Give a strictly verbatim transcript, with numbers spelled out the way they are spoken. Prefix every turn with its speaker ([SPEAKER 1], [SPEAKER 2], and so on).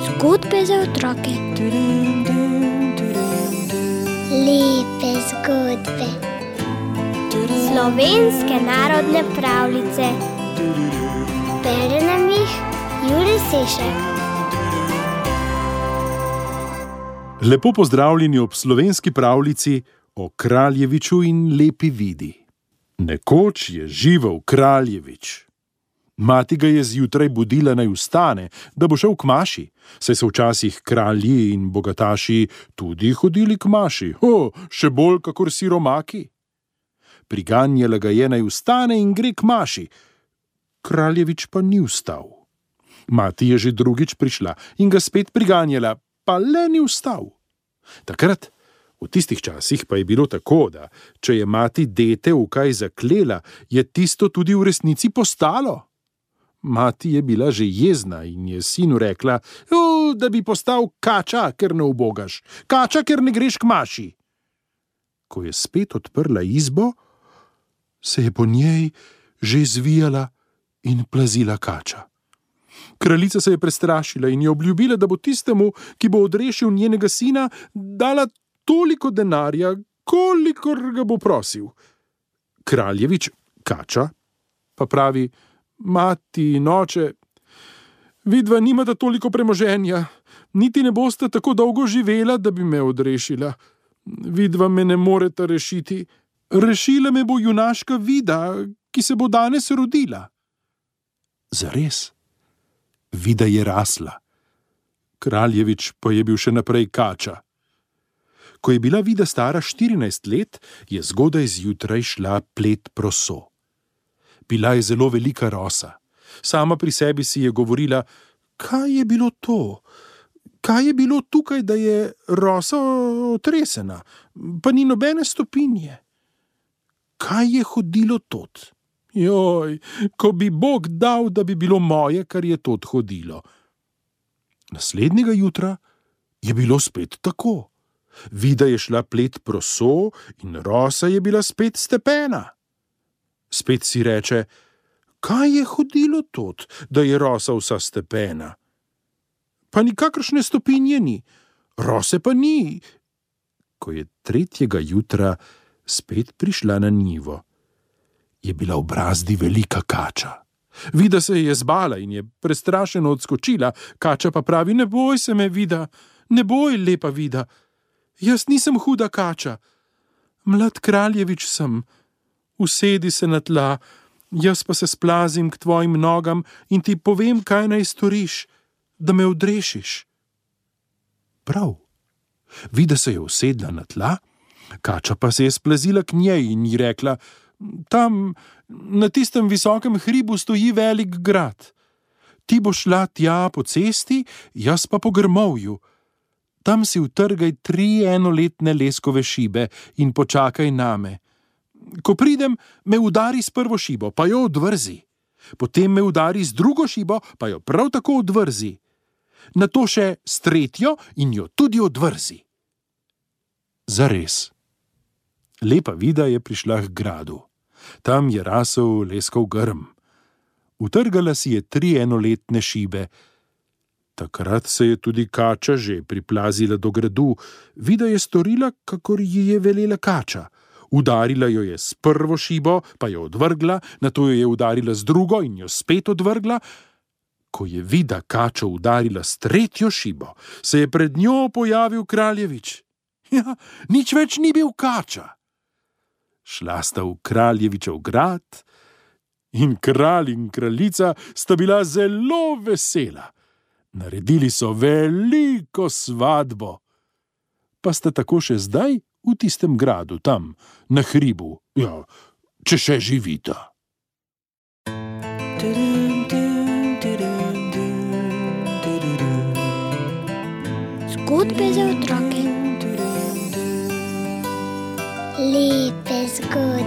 [SPEAKER 1] Zgodbe za otroke. Lepe zgodbe. Slovenske narodne pravljice. Bere nam jih Jure Sešek.
[SPEAKER 2] Lepo pozdravljeni ob slovenski pravljici o Kraljeviču in lepi vidi. Nekoč je živel Kraljevič. Mati ga je zjutraj budila, naj vstane, da bo šel k maši, saj so včasih kralji in bogataši tudi hodili k maši, o, še bolj kakor siromaki. Priganjala ga je, naj vstane in gre k maši. Kraljevič pa ni vstal. Mati je že drugič prišla in ga spet priganjala, pa le ni vstal. Takrat, v tistih časih pa je bilo tako, da če je mati dete v kaj zaklela, je tisto tudi v resnici postalo. Mati je bila že jezna in je sinu rekla, da bi postal kača, ker ne ubogaš, kača, ker ne greš k maši. Ko je spet odprla izbo, se je po njej že zvijala in plazila kača. Kraljica se je prestrašila in je obljubila, da bo tistemu, ki bo odrešil njenega sina, dala toliko denarja, kolikor ga bo prosil. Kraljevič, kača, pa pravi, mati in oče, vidva nimata toliko premoženja, niti ne boste tako dolgo živela, da bi me odrešila. Vidva me ne moreta rešiti. Rešila me bo junaška Vida, ki se bo danes rodila. Zares? Vida je rasla. Kraljevič pa je bil še naprej kača. Ko je bila Vida stara štirinajst let, je zgodaj zjutraj šla plet proso. Bila je zelo velika rosa. Sama pri sebi si je govorila, kaj je bilo to? Kaj je bilo tukaj, da je rosa otresena, pa ni nobene stopinje? Kaj je hodilo tod? Joj, ko bi Bog dal, da bi bilo moje, kar je tod hodilo. Naslednjega jutra je bilo spet tako. Vida je šla plet proso in rosa je bila spet stepena. Spet si reče, kaj je hodilo tod, da je rosa vsa stepena? Pa nikakršne stopinje ni, rose pa ni. Ko je tretjega jutra spet prišla na njivo, je bila v brazdi velika kača. Vida se je zbala in je prestrašeno odskočila, kača pa pravi, ne boj se me, Vida, ne boj, lepa Vida. Jaz nisem huda kača. Mlad Kraljevič sem. Usedi se na tla, jaz pa se splazim k tvojim nogam in ti povem, kaj naj storiš, da me odrešiš. Prav. Vida se je usedla na tla, kača pa se je splazila k njej in ji rekla, tam, na tistem visokem hribu stoji velik grad. Ti boš šla tja po cesti, jaz pa po grmovju. Tam si utrgaj tri enoletne leskove šibe in počakaj name. Ko pridem, me udari s prvo šibo, pa jo odvrzi. Potem me udari z drugo šibo, pa jo prav tako odvrzi. Nato še s tretjo in jo tudi odvrzi. Zares. Lepa Vida je prišla k gradu. Tam je rasel leskov grm. Utrgala si je tri enoletne šibe. Takrat se je tudi kača že priplazila do gradu. Vida je storila, kakor ji je velela kača. Udarila jo je s prvo šibo, pa jo odvrgla, nato jo je udarila z drugo in jo spet odvrgla. Ko je Vida kačo udarila s tretjo šibo, se je pred njo pojavil Kraljevič. Ja, nič več ni bil kača. Šla sta v Kraljevičev grad in kralj in kraljica sta bila zelo vesela. Naredili so veliko svadbo. Pa sta tako še zdaj v tistem gradu, tam, na hribu, ja, če še živita.
[SPEAKER 1] Zgodbe za otroke. Lepe zgodbe.